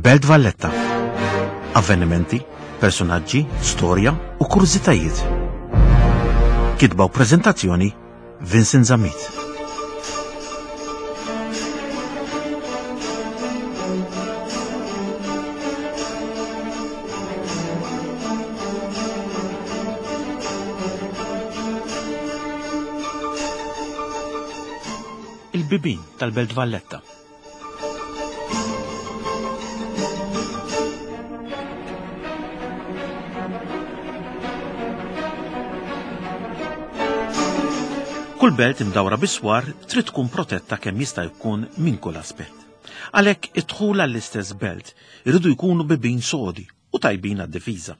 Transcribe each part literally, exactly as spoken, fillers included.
Il-Belt Valletta. Avvenimenti, personaġġi, storja u kurżitajiet. Kitba u preżentazzjoni Vincent Zammit. Il-bibin tal-Belt Valletta. Kull belt imdawra biswar trid tkun protetta kemm jista' jkun minn kull aspett. Għalhekk id-dħul għall-istess belt iridu jkunu bibin sodi u tajbin għad-difiża.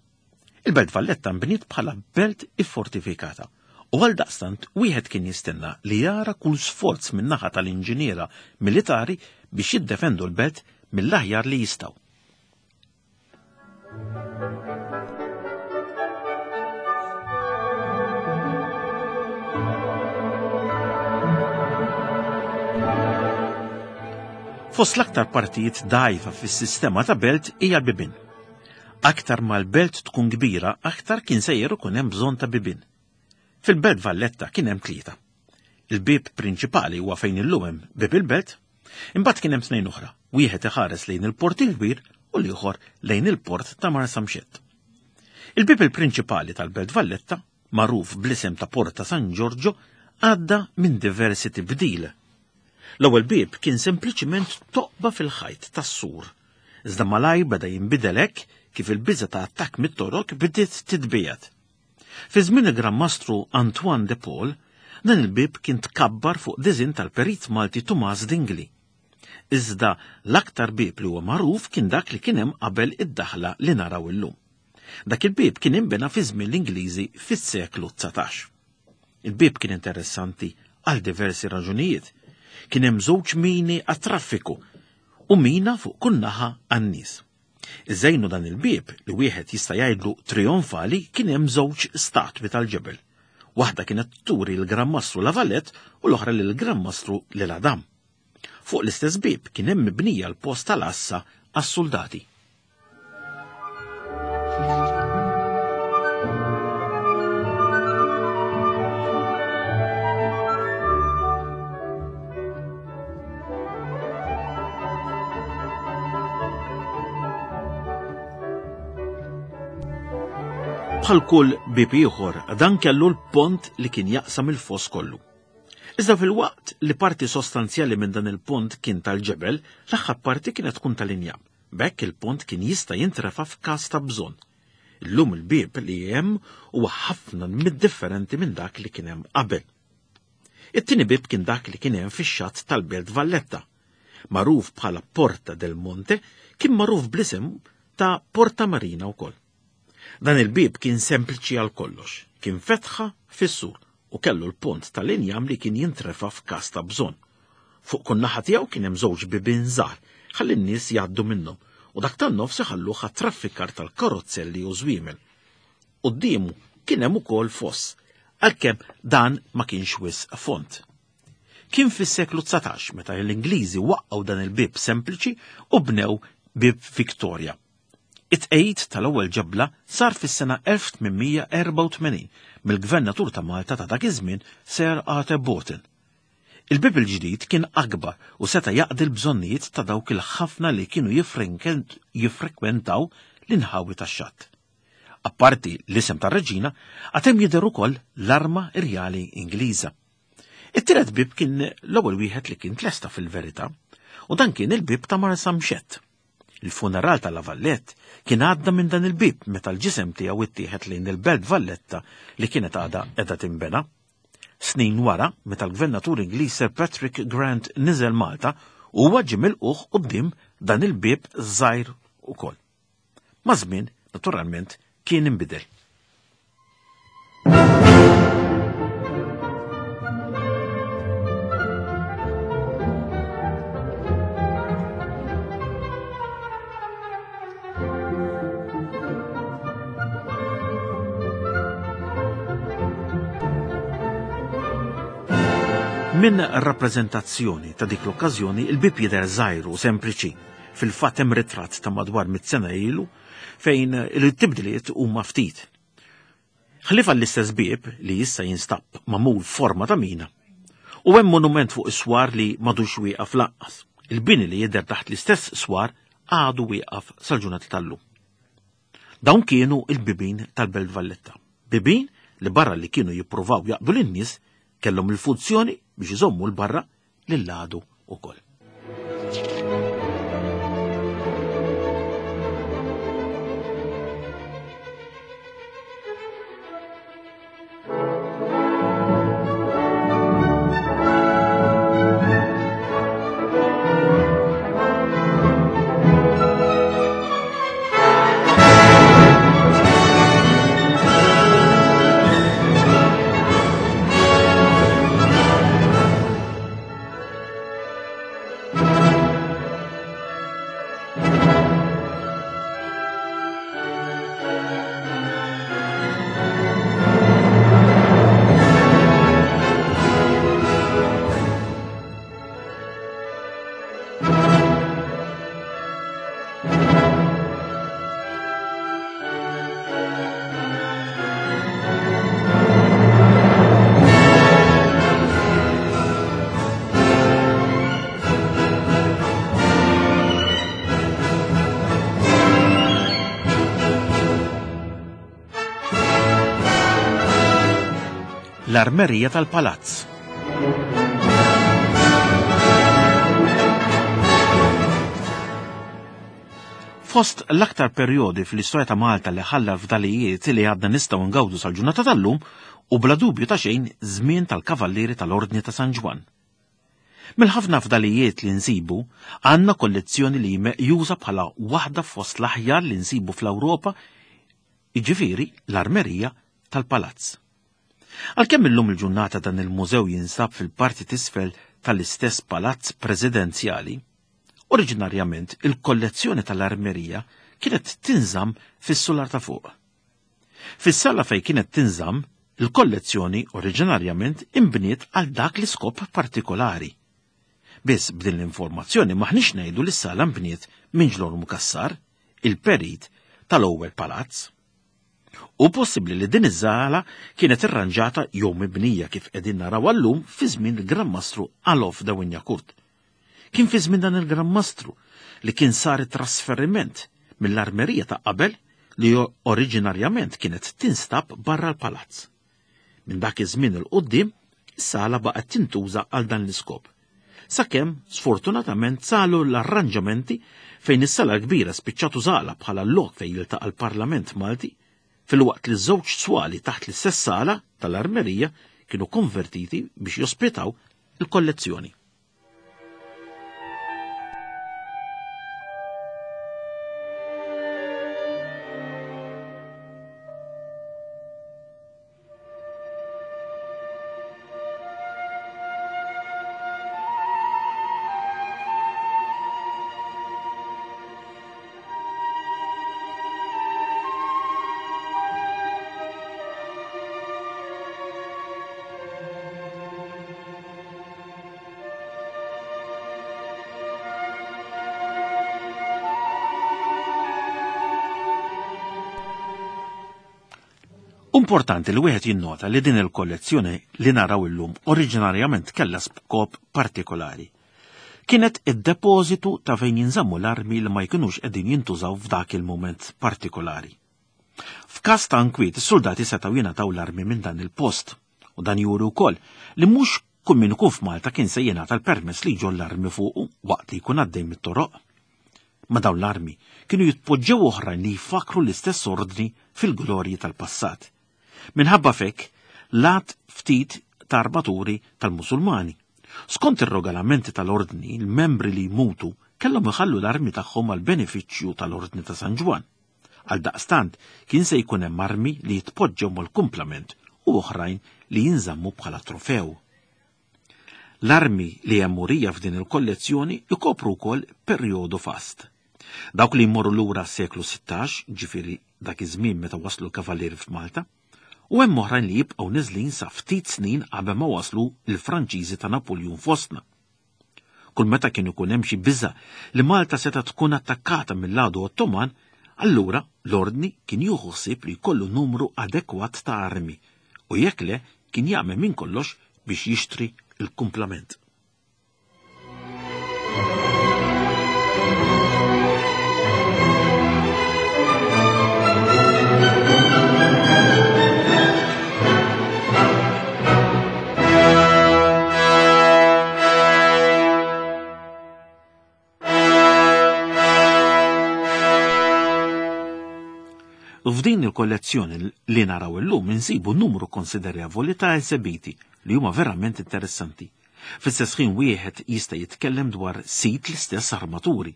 Il-Belt Valletta nbniet bħala belt iffortifikata u għal daqstant wieħed kien jistenna li jara kull sforz min-naħa tal-inġiniera militari biex jiddefendu l-belt mill-aħjar li jistgħu. Fost l-aktar partijiet dgħajfa fis-sistema ta' belt hija l-bibien. Aktar ma l-belt tkun kbira, aktar kien sejjer ikun hemm bżonn ta' bibien. Fil-Belt Valletta kien hemm tlieta. Il-bieb prinċipali huwa fejn illum hemm bieb il-belt, imbagħad kien hemm tnejn oħra, wieħed iħares lejn il-port il-kbir u l-ieħor lejn il-port ta' Marsamxett. Il-bieb il-prinċipali tal-Belt Valletta, magħruf bl-isem ta' Porta San Giorgio, għadda minn diversi tibdil. L-ewwel bieb kien sempliċiment toqba fil-ħajt tas-sur. Iżda malajr beda jinbidel hekk kif il-biża ta' attakk mit-Torok bdiet titbiegħed. Fi żmien il-Gran Mastru Antoine de Paul, dan il-bieb kien tkabbar fuq diżinn tal-perit Malti Tumas Dingli. Iżda l-aktar bieb li huwa magħruf kien dak li kien hemm qabel id-daħla li naraw illum. Dak il-bieb kien inbena fi żmien l-Ingliżi fis-seklu dsatax. Il-bieb kien interessanti għal diversi raġunijiet. Kien hemm żewġ mini għat-traffiku u mina fuq kull naħa għan-nies. Iżejnu dan il-bieb li wieħed jista' jgħidlu trionfali kien hemm żewġ statwi tal-ġebel. Waħda kienet turi l-Gran Mastru La Valette u l-oħra lill-Gran Mastru Lil Adam. Fuq l-istess bieb kien hemm mibnija l-post tal-għassa għas-soldati. Bħal kull bieb ieħor, dan kellu l-pont li kien jaqsam il-foss kollu. Iżda fil-waqt li parti sostanzjali minn dan il-pont kien tal-ġebel, l-aħħar parti kienet tkun tal-injam. B'hekk il-pont kien jista' jintrefa' f'każ ta' bżonn. Illum il-bieb li hemm huwa ħafna mid-differenti minn dak li kien hemm qabel. It-tieni bieb kien dak li kien hemm fix-xatt tal-Belt Valletta. Magħruf bħala Porta del Monte, kien magħruf bl-isem ta' Porta Marina wkoll. Dan il-bieb kien sempliċi għal kollox, kien fetħa fis-sur u kellu l-pont tal-injam li kien jintrefa' f'każ ta' bżonn. Fuq kull naħa tiegħu kien hemm żewġ bibien żgħar ħalli n-nies jgħaddu minnhom u dak tan-nofs iħalluh għat-traffikar tal-karozzelli u żwiemel. Quddiemu kien hemm ukoll foss, għalkemm dan ma kienx wisq fond. Kien fis-seklu dsatax meta l-Ingliżi waqqgħu dan il-bieb sempliċi u bnew bieb Victoria. It-tqegħid tal-ewwel ġebla sar fis-sena elf tmien erba' u tmenin mill-Gvernatur ta' Malta ta' dak iż-żmien Sir Arthur Boughton. Il-bieb il-ġdid kien akbar u seta' jaqdi l-bżonnijiet ta' dawk il-ħafna li kienu jiffrekwentaw l-inħawi tax-xatt. Apparti l-isem tar-reġina, għad hemm jidher ukoll l-arma rjali Ingliża. It-tielet bieb kien l-ewwel wieħed li kien tlesta fil-verità, u dan kien il-bieb ta' Marsamxett. Il-funeral ta' La Valette kien għadda minn dan il-bieb meta l-ġisem tiegħu ittieħed lejn il-Belt Valletta li kienet għadha qiegħda tinbena. Snin wara, meta l-Gvernatur Ingliż Sir Patrick Grant niżel Malta, huwa ġie milquh quddiem dan il-bieb żgħir ukoll. Maż-żmien, naturalment, kien inbidel. Minn rappreżentazzjoni ta' dik l-okkażjoni, il-bieb jidher żgħir u sempliċi, Fil-fatt hemm ritratt ta' madwar mitt sena ilu fejn il-tibdiliet huma ftit. Ħlief għall-istess bieb li issa jinstab magħmul forma ta' mina. U hemm monument fuq is-swar li m'għadux wieqaf lanqas. Il-bini li jidher taħt l-istess swar għadu wieqaf sal-ġurnata tal-lum. Dawn kienu il-bibin tal-Belt Valletta. Bibin li barra li kienu jippruvaw jaqdu lin-nies kellhom il-funzjoni biex iżommu l-barra lil-għadu ukoll. L-armerija tal-palazz. Fost l-aktar perjodi fl-istorja ta' Malta li ħalla fdalijiet li għadna nistgħu ngawdu sal-ġurnata tal-lum u bla dubju ta' xejn żmien tal-Kavallieri tal-Ordni ta' San Ġwann. Mill-ħafna fdalijiet li nsibu, għandna kollezzjoni li meqjuża bħala waħda fost l-aħjar li nsibu fl-Ewropa, jiġifieri l-armerija tal-palazz. Għalkemm illum il-ġurnata dan il-mużew jinsab fil-parti t'isfel tal-istess palazz presidenzjali, oriġinarjament il-kollezzjoni tal-armerija kienet tinżamm fis-sular ta' fuq. Fis-sala fejn kienet tinżamm, il-kollezzjoni oriġinarjament imbniet għal dak l-iskop partikolari. Biss b'din l-informazzjoni maħniex ngħidu li s-sala nbniet minn Ġlormu Cassar, il-perit tal-ewwel palazz. U possibbli li din iż-żala kienet irranġata jew mibnija kif qegħdin naraw llum fi żmien il-Gran Mastru Alof de Wignacourt. Kien fi żmien dan il-Gran Mastru li kien sar it-trasferiment mill-armerija ta' qabel li oriġinarjament kienet tinstab barra l-palazz. Minn dak iż-żmien il quddiem is-sala baqgħet tintuża għal dan l-iskop. Sakemm sfortunatament salu l-arranġamenti fejn is-sala kbira spiċċatu żala bħala l-lok fejn jiltaqa' l-Parlament Malti, fil-waqt li żewġ swali taħt l-istess sala tal-armerija kienu konvertiti biex jospitaw il-kollezzjoni. Importanti li wieħed jinnota li din il-kollezzjoni li naraw illum oriġinarjament kellha skop partikolari. Kienet id-depożitu ta' fejn jinżammu l-armi li ma jkunux qegħdin jintużaw f'dak il-mument partikolari. F'każ ta' nkwiet, is-soldati setgħu jingħataw l-armi minn dan il-post, u dan juri wkoll li mhux kull min ikun f'Malta kien se jingħata l-permess li jġoll l-armi fuqu waqt li jkun għaddej mit-toroq. Ma dawn l-armi kienu jitpoġġew oħrajn li jfakru l-istess ordni fil-glorji tal-passat. Minħabba fek, lat ftit ta' armaturi tal-Musulmani. Skont ir-regolamenti tal-ordni, il-membri li jmutu kellhom iħallu l-armi tagħhom għal benefiċċju tal-Ordni ta' San Ġwann. Għal daqstant kien se jkun hemm armi li jitpoġġew mal-kumplament u oħrajn li jinżammu bħala trofew. L-armi li hemm murija f'din il-kollezzjoni jkopru wkoll perjodu fast. Dawk li jmorru lura s-seklu sittax, ġifieri dak iż-żmien meta waslu l-kavallieri f'Malta, u hemm oħrajn li jibqgħu niżlin sa ftit snin qabel ma waslu l-Franċiżi ta' Napoleon fostna. Kull meta kien ikun hemm xi biża' li Malta seta' tkun attakkata mill-għadu Ottoman, allura l-ordni kien jieħu ħsieb li jkollu numru adekwat ta' armi u jekk le kien jagħmel minn kollox biex jixtri l-kumplament. F'din il-kollezzjoni li naraw illum insibu numru konsiderevoli ta' esebiti li huma verament interessanti. Fl-istess ħin wieħed jista' jitkellem dwar sit l-istess armaturi.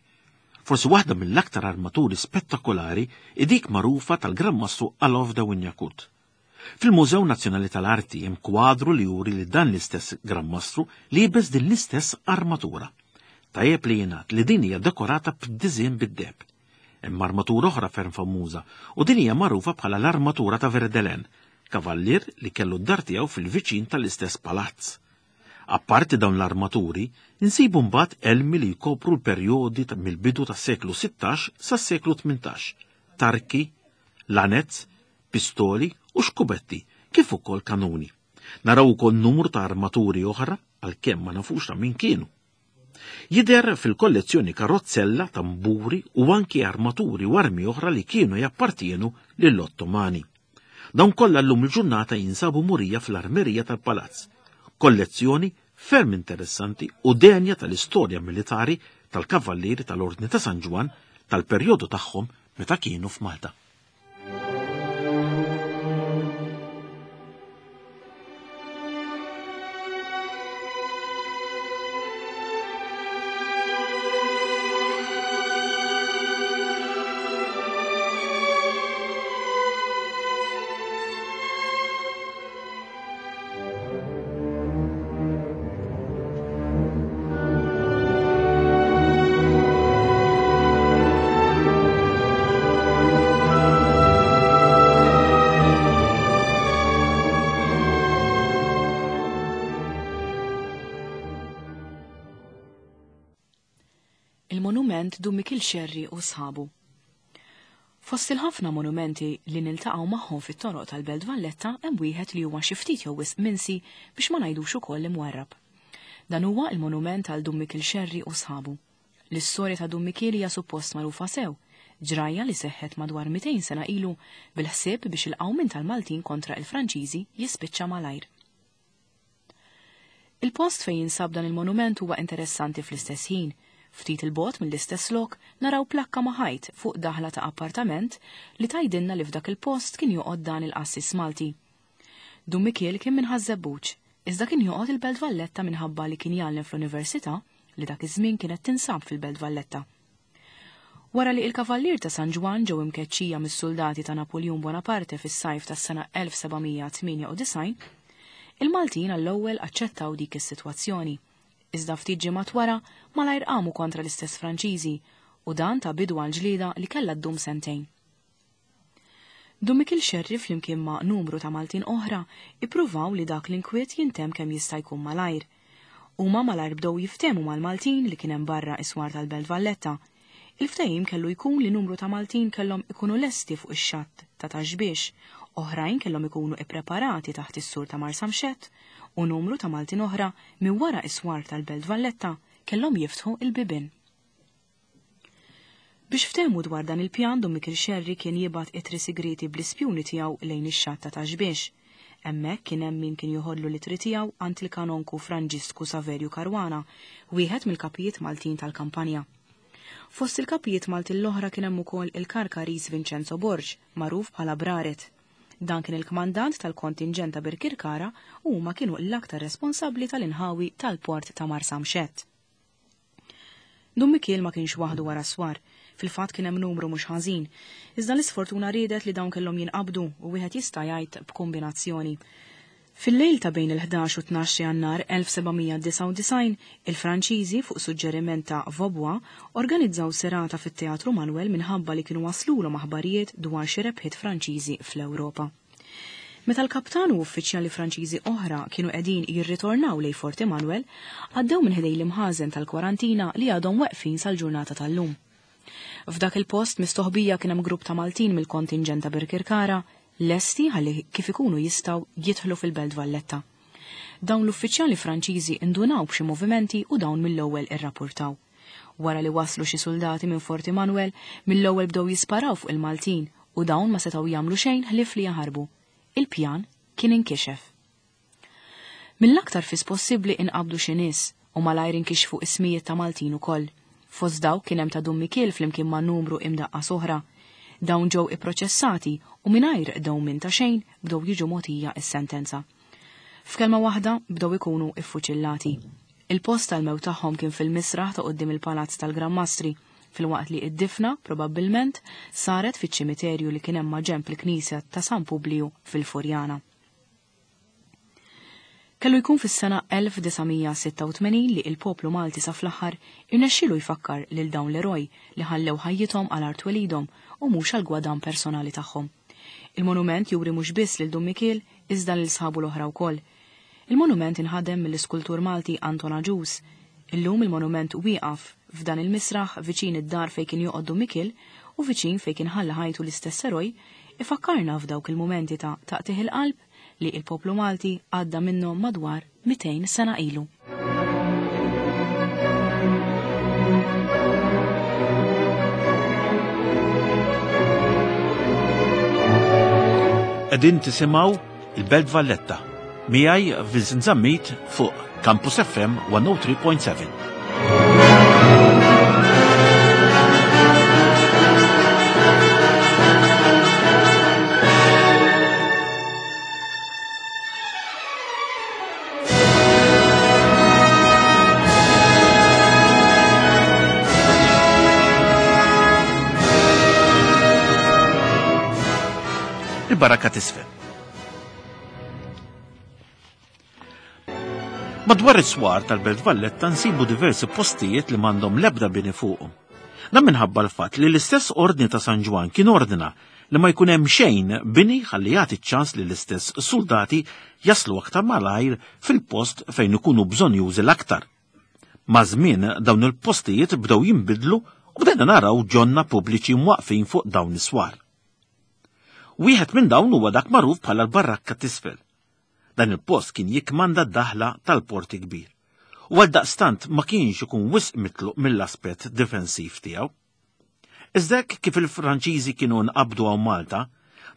Forsi waħda mill-aktar armaturi spettakolari hi dik magħrufa tal-Gran Mastru Alof de Wignacourt. Fil-Mużew Nazzjonali tal-Arti hemm kwadru li juri li dan l-istess Gran Mastru liebes din l-istess armatura. Tajjeb li jingħad li din hija dekorata b'diżin bid-deheb. Hemm armatura oħra ferm famuża u din hija magħrufa bħala l-armatura ta' Verdelen, kavallier li kellu d-dar tiegħu fil-viċin tal-istess palazz. Apparti dawn l-armaturi, insibu mbagħad elmi li jkopru l-perjodi mill-bidu tas-seklu sittax sas-seklu tmintax, tarki, lanez, pistoli u xkubetti, kif ukoll kanuni. Naraw ukoll numru ta' armaturi oħra għalkemm ma nafux ta' min kienu. Jidher fil-kollezzjoni karozzella, tamburi u anki armaturi u armi oħra li kienu jappartienu lill-Ottomani. Dawn kollha llum il-ġurnata jinsabu murija fl-armerija tal-palazz. Kollezzjoni ferm interessanti u denja tal-istorja militari tal-kavallieri tal-Ordni ta' San Ġwann tal-perjodu tagħhom meta kienu f'Malta. Il-monument Dun Mikiel Xerri u sħabu. Fost il-ħafna monumenti li niltaqgħu magħhom fit-toroq tal-Belt Valletta hemm wieħed li huwa xi ftit jew wisq minsi biex ma ngħidux ukoll imwarrab. Dan huwa il-monument għal Dun Mikiel Xerri u sħabu. L-istorja ta' Dun Mikiel hija suppost magħrufa sew, ġrajja li seħħet madwar mitejn sena ilu bil-ħsieb biex il-qawmien tal-Maltin kontra il-Franċiżi jispiċċa malajr. Il-post fejn jinsab dan il-monument huwa interessanti fl-istess ħin. Ftit il-bot mill-istess lok naraw plakka ma' ħajt fuq daħla ta' appartament li tajdinna li f'dak il-post kien joqgħod dan il-qassis Malti. Dun Mikiel kien minn Ħaż-Żebbuġ, iżda kien joqgħod il-Belt Valletta minħabba li kien jgħallem fl-Università li dak iż-żmien kienet tinsab fil-Belt Valletta. Wara li il-Kavallier ta' San Ġwann ġew imkeċċija mis-soldati ta' Napoleon Bonaparte fis-sajf tas-sena elf seba' mija tmienja u disgħin, il-Maltin għall-ewwel aċċettaw dik is-sitwazzjoni. Iżda ftit ġimgħat wara malajr qamu kontra l-istess Franċiżi u dan ta' bidu għal ġlieda li kellha ddum sentejn. Dun Mikiel Xerri flimkien ma' numru ta' Maltin oħra ippruvaw li dak l-inkwiet jintemm kemm jista' jkun malajr. Huma malajr bdew jiftehmu mal-Maltin li kien hemm barra is-swar tal-Belt Valletta. Il-ftehim kellu jkun li numru ta' Maltin kellhom ikunu lesti fuq ix-xatt ta' Taxbiex, oħrajn kellhom ikunu ippreparati taħt is-sur ta' Marsamxett u numru ta' Maltin oħra minn wara is-swar tal-Belt Valletta kellhom jiftħu il-bibien. Biex ftehmu dwar dan il-pjan, Dun Mikiel Xerri kien jibgħat ittri sigriti bl-ispjuni tiegħu lejn ix-xatt ta' Taxbiex. Hemmhekk kien hemm min kien joħodlu l-ittri tiegħu għand il-kanonku Franġisku Saverju Caruana, wieħed mill-kapijiet Maltin tal-kampanja. Fost il-kapijiet Maltin l-oħra kien hemm ukoll il-Karkaris Vincenzo Borg, magħruf bħala Braret. Dan kien il-kmandant tal-kontinġent ta' Birkirkara u huma kienu l-aktar responsabbli tal-inħawi tal-port ta' Marsamxett. Dun Mikiel ma kienx waħdu wara swar, fil-fatt kien hemm numru mhux ħażin, iżda l-isfortuna riedet li dawn kellhom jinqabdu u wieħed jista' jgħid b'kombinazzjoni. Fil-lejl ta' bejn il-ħdax u tnax Jannar elf seba' mija disgħa u disgħin, il-Franċiżi fuq suġġeriment ta' Vaubois organizzaw serata fit-Teatru Manuel minħabba li kienu waslulhom aħbarijiet dwar xi rebħiet Franċiżi fl-Ewropa. Meta l-kaptan u uffiċjali Franċiżi oħra kienu qegħdin jirritornaw lejn Fort Emanuel, għaddew minn ħdej l-imħażen tal-kwarantina li għadhom weqfin sal-ġurnata tal-lum. F'dak il-post mistoħbija kien hemm grupp ta' Maltin mill-kontinġent ta' Birkirkara lesti ħalli kif ikunu jistgħu jidħlu fil-Belt Valletta. Dawn l-uffiċjali Franċiżi indunaw b'xi movimenti u dawn mill-ewwel irrapportaw. Wara li waslu xi soldati minn Fort Emanuel, mill-ewwel bdew jisparaw fuq il-Maltin u dawn ma setgħu jagħmlu xejn ħlief li jaħarbu. Il-pjan kien inkixef. Mill-aktar fis possibbli inqabdu xi nies u malajr inkixfu ismijiet ta' Maltin ukoll. Fost dawk kien hemm ta' Dun Mikiel flimkien ma' numru imdaqqas oħra. Dawn ġew ipproċessati u mingħajr dewmien ta' xejn bdew jiġu mogħtija s-sentenza. F'kelma waħda bdew ikunu iffuċillati. Il-post tal-mewt tagħhom kien fil-misraħ ta' quddiem il-Palazz tal-Gran Mastri, filwaqt li id-difna probabbilment saret fiċ-ċimiterju li kien hemm maġenb il-Knisja ta' San Publiju fil-Furjana. Kellu jkun fis-sena elf disa' mija sitta u tmenin li il-poplu Malti sa fl-aħħar irnexxielu jfakkar lil dawn l-eroj li ħallew ħajjithom għal art twelidhom u mhux għal gwadan personali tagħhom. Il-monument juri mhux biss lil Dun Mikiel iżda lil sħabu l-oħra wkoll. Il-monument inħadem mill-iskultur Malti Anton Agius. Illum il-monument wieqaf f'dan il-misraħ viċin id-dar fejn kien joqgħod Dun Mikiel u viċin fejn kien ħalla ħajtu l-istess eroj, ifakkarna f'dawk il-mumenti ta' taqtih il-qalb li il-poplu Malti għadda minnhom madwar mitejn sena ilu. Qegħdin tisimgħu il-Belt Valletta miegħi Vincent Zammit fuq Campus F M one oh three point seven. Il-baraka tisfel. Madwar is-swar tal-Belt Valletta nsibu diversi postijiet li m'għandhom l-ebda bini fuqhom. Dan minħabba l-fatt li l-istess ordni ta' San Ġwann kien ordna li ma jkun hemm xejn bini ħalli jagħti ċ-ċans li l-istess soldati jaslu aktar malajr fil-post fejn ikunu bżonn jużi l-aktar. Ma' żmien dawn il-postijiet bdew jinbidlu u bdejna naraw ġonna pubbliċi mwaqfin fuq dawn is-swar. Wieħed minn dawn huwa dak magħruf bħala l-Barrakka t'Isfel. Dan il-post kien jikmanda d-daħla tal-Port Kbir. U għal daqstant ma kienx ikun wisq mitluq mill-aspett difensiv tiegħu. Iżda hekk kif il-Franċiżi kienu nqabdu hawn Malta,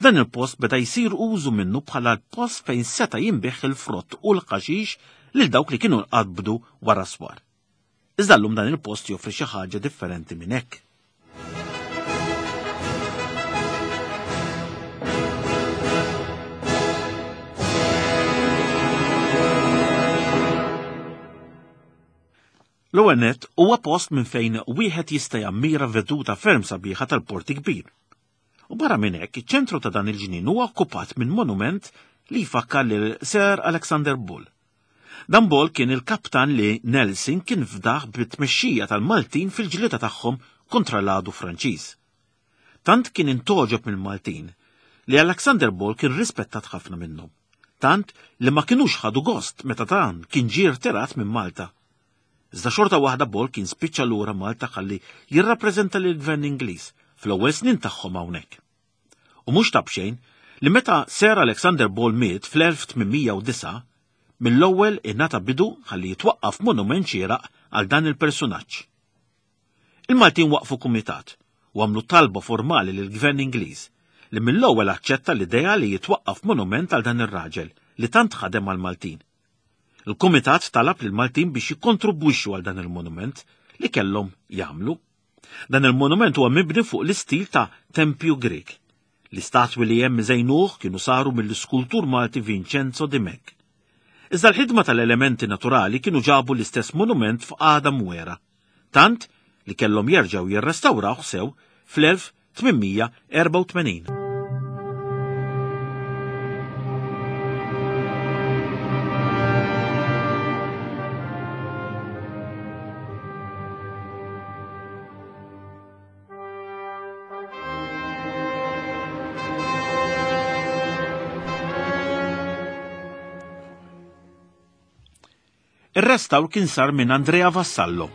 dan il-post beda jsir użu minnu bħala l-post fejn seta' jinbih il-frott u l-ħaxix lil dawk li kienu nqabdu wara swar. Iżda llum dan il-post joffri xi ħaġa differenti minn hekk. L-ewwel nett huwa post minn fejn wieħed jista' jammira veduta ferm sabiħa tal-Port Kbir. U barra minn hekk, iċ-ċentru ta' dan il-ġnien huwa okkupat minn monument li jfakkar lil Sir Alexander Bull. Dan Bull kien il-kaptan li Nelson kien fdaħ bit-tmexxija tal-Maltin fil-ġlieda tagħhom kontra l-għadu Franċiż. Tant kien intoġob mill-Maltin li Alexander Bull kien rispettat ħafna minnhom. Tant li ma kinux ħadu gost meta dan kien ġie rtirat minn Malta. Iżda xorta waħda Bull kien spiċċa lura Malta ħalli jirrappreżenta lill-Gvern Ingliż fl-ewwel snin tagħhom hawnhekk. U mhux ta' bxejn li meta Sir Alexander Bull miet fl-elf tmien mija u disgħa, mill-ewwel ingħata bidu ħalli jitwaqqaf monument xieraq għal dan il-persunaġġ. Il-Maltin waqfu kumitat u għamlu talba formali lill-Gvern Ingliż li mill-ewwel aċċetta l-idea li jitwaqqaf monument għal dan ir-raġel li tant ħadem mal-Maltin. Il-Kumitat talab lill-Maltin biex jikkontribwixxu għal dan il-monument li kellhom jagħmlu. Dan il-monument huwa mibni fuq l-istil ta' Tempju Grek. L-istatwi li hemm iżejnuh kienu saru mill-iskultur Malti Vincenzo Dimech. Iżda l-ħidma tal-elementi naturali kienu ġabu l-istess monument f'qagħda mwera, tant li kellhom jerġgħu jirrestawrawh sew fl-elf tmien mija erba' u tmenin. Ir-restawr kien sar minn Andrea Vassallo.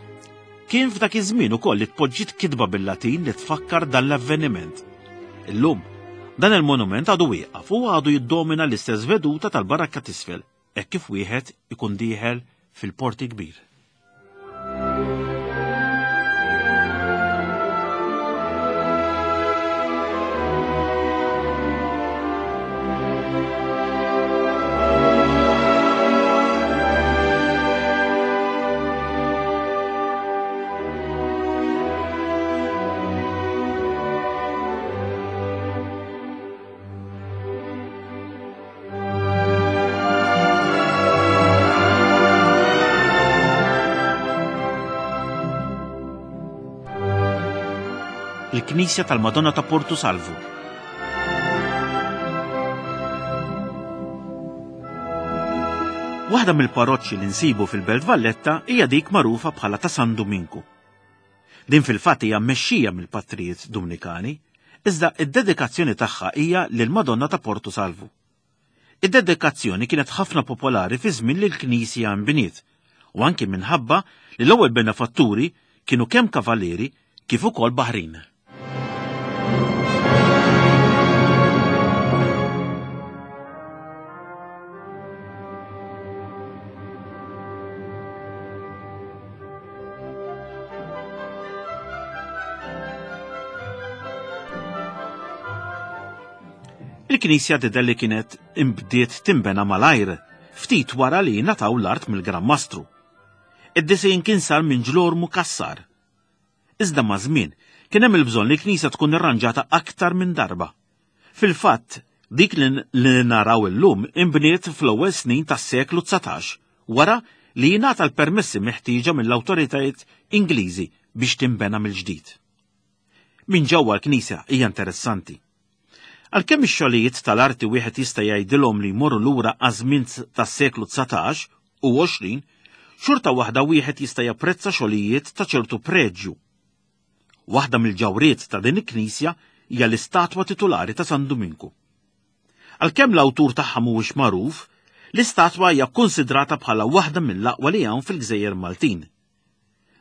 Kien f'dak iż-żmien ukoll li tpoġġiet kitba bil-Latin li tfakkar dan l-avveniment. Illum, dan il-monument għadu wieqaf u għadu jiddomina l-istess veduta tal-Barrakka t'Isfel, hekk kif wieħed ikun dieħel fil-Port il-Kbir. Il-Knisja tal-Madonna ta' Porto Salvo. Waħda mill-parroċċi li nsibu fil-Belt Valletta hija dik magħrufa bħala ta' San Duminku. Din fil-fatt hija mmexxija mill-patrijiet Dumnikani, iżda id-dedikazzjoni tagħha hija lill-Madonna ta' Porto Salvo. Id-dedikazzjoni kienet ħafna popolari fi żmien li l-Knisja nbniet, u anki minħabba li l-ewwel benefatturi kienu kemm kavalieri kif ukoll baħrin. Il-Knisja tidher li kienet imbdiet timbena malajr, ftit wara li ngħataw l-art mill-Gran Mastru. Id-disejn kien sar minn Ġlormu Kassar. Iżda ma' żmien kien hemm il-bżonn li l-Knisja tkun irranġata aktar minn darba. Fil-fatt, dik li naraw illum imbniet fl-ewwel snin tas-seklu dsatax, wara li jingħata l-permessi meħtieġa mill-awtoritajiet Ingliżi biex timbena mill-ġdid. Minn ġewwa l-Knisja hija interessanti. Għalkemm ix-xogħlijiet tal-arti wieħed jista' jgħidilhom li jmorru lura għaż-żmien tas-seklu dsatax u għoxrin, xorta waħda wieħed jista' japprezza xogħlijiet ta' ċertu preġju. Waħda mill-ġawriet ta' din il-knisja hija l-istatwa titulari ta' San Duminku. Għalkemm l-awtur tagħha mhuwiex magħruf, l-istatwa hija kkunsidrata bħala waħda mill-aqwa li hawn fil-Gżejjer Maltin.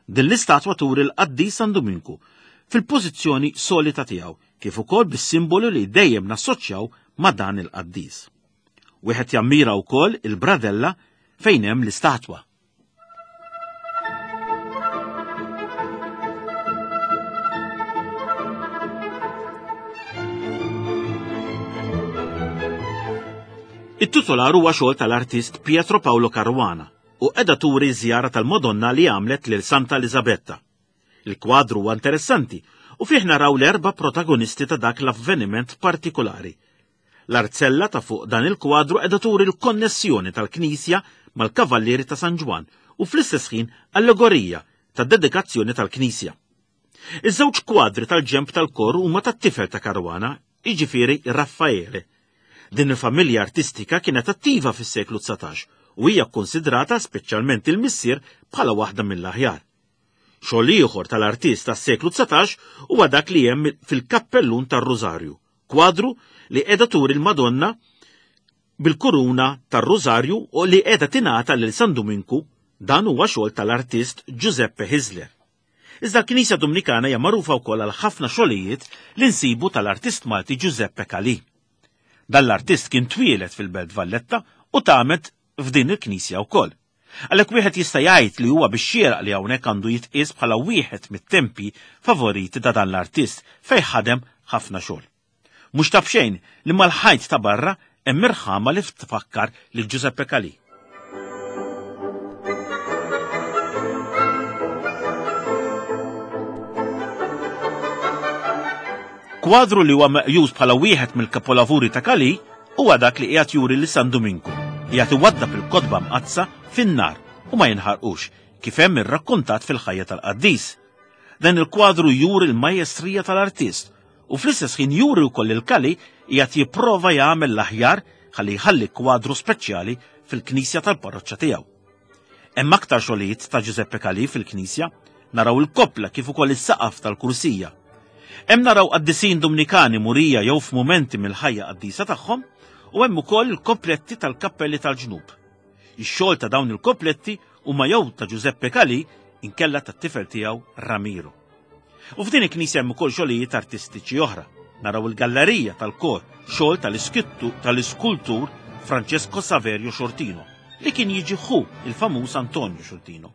Din l-istatwa turi l-qaddis San Duminku fil-pożizzjoni solita tiegħu, kif ukoll bis-simbolu li dejjem nassoċjaw ma' dan il-qaddis. Wieħed jammira wkoll il-bradella fejn hemm l-istatwa. It-titular huwa xogħol tal-artist Pietro Paolo Caruana u qiegħda turi żjara tal-Madonna li għamlet lil Santa Elisabetta. Il-kwadru huwa interessanti u fih naraw l-erba' protagonisti ta' dak l-avveniment partikolari. L-arzella ta' fuq dan il-kwadru qiegħda turi l-konnessjoni tal-Knisja mal-Kavallieri ta' San Ġwann u fl-istess ħin allegorija tad-dedikazzjoni tal-Knisja. Iż-żewġ kwadri tal-ġemp tal-kor huma tat-tifel ta' Caruana, jiġifieri Raffaele. Din il-familja artistika kienet attiva fis-seklu dsatax u hija kkonsidrata speċjalment il-missier bħala waħda mill-aħjar. Xogħol ieħor tal-artist tas-seklu dsatax huwa dak li hemm fil-kappellun tar-Rużarju, kwadru li qiegħda turi l-Madonna bil-kuruna tar-Rużarju u li qiegħda tingħata lil San Duminku. Dan huwa xogħol tal-artist Giuseppe Hisler. Iżda l-Knisja Dumnikana hija magħrufa wkoll għal ħafna xogħlijiet li nsibu tal-artist Malti Giuseppe Calì. Dan l-artist kien twieled fil-Belt Valletta u tamet f'din il-knisja wkoll. Għalhekk wieħed jista' jgħid li huwa bix-xieraq li hawnhekk għandu jitqies bħala wieħed mit-tempi favoriti ta' dan l-artist fejn ħadem ħafna xogħol. Mhux ta' b'xejn li mal-ħajt ta' barra hemm irħama li tfakkar lil Giuseppe Calì. Kwadru li huwa meqjus bħala wieħed mill-kapolavuri ta' Calì huwa dak li qiegħed juri lil San Duminku, qiegħed iwaddab il-kotba mqaddsa fin-nar u ma jinħarqux, kif hemm irrakkontat fil-ħajja tal-qaddis. Dan il-kwadru juri l-majestrija tal-artist u fl-istess ħin juri wkoll il Calì qiegħed jipprova jagħmel l-aħjar ħalli jħalli kwadru speċjali fil-knisja tal-parroċċa tiegħu. Hemm aktar xogħlijiet ta' Giuseppe Calì fil-knisja, naraw il-koppla kif ukoll is-saqaf tal-kursija. Hemm naraw qaddisin Dumnikani murija jew f'mumenti mill-ħajja qaddisa tagħhom u hemm ukoll il-kopletti tal-kappelli tal-ġnub. Ix-xogħol ta' dawn il-kopletti huma jew ta' Giuseppe Calì inkella tat-tifel tiegħu Ramiro. U f'din il-knisja hemm ukoll xogħlijiet artistiċi oħra. Naraw il-gallerija tal-kor, xogħol tal-iskittu tal-iskultur Francesco Saverio Sciortino, li kien jiġi ħu il-famuż Antonio Sciortino.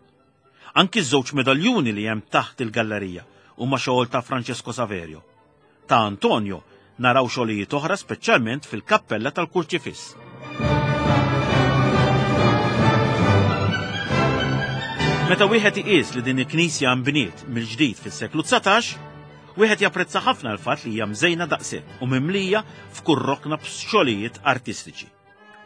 Anki ż-żewġ medaljuni li hemm taħt il-gallerija huma xogħol ta' Francesco Saverio. Ta' Antonio naraw xogħlijiet oħra, speċjalment fil-kappella tal-Kurċifiss. Meta wieħed iqis li din il-knisja nbniet mill-ġdid fis-seklu dsatax, wieħed japprezza ħafna l-fatt li hija mżejna daqshekk u mimlija f'kull rokna b'xogħlijiet artistiċi.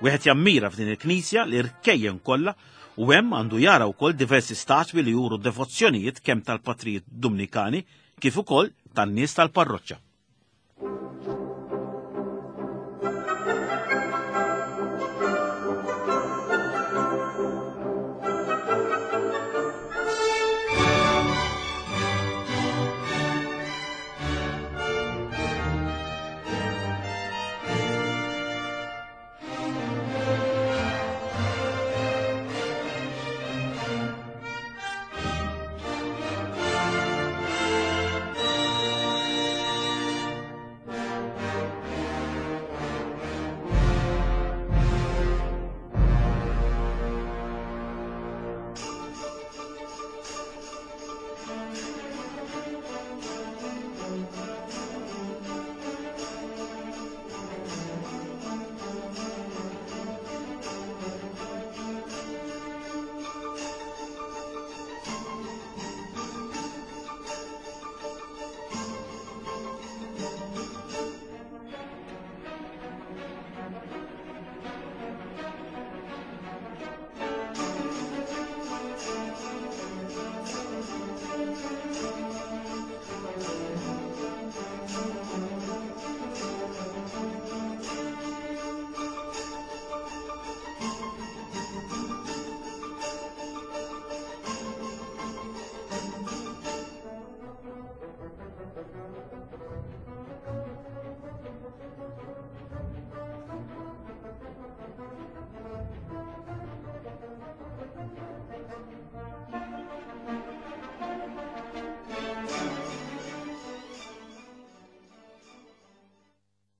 Wieħed jammira f'din il-knisja li rkejjen kollha u hemm għandu jara wkoll diversi statwi li juru devozzjonijiet kemm tal-patrijiet Dumnikani kif ukoll tan-nies tal-parroċċa.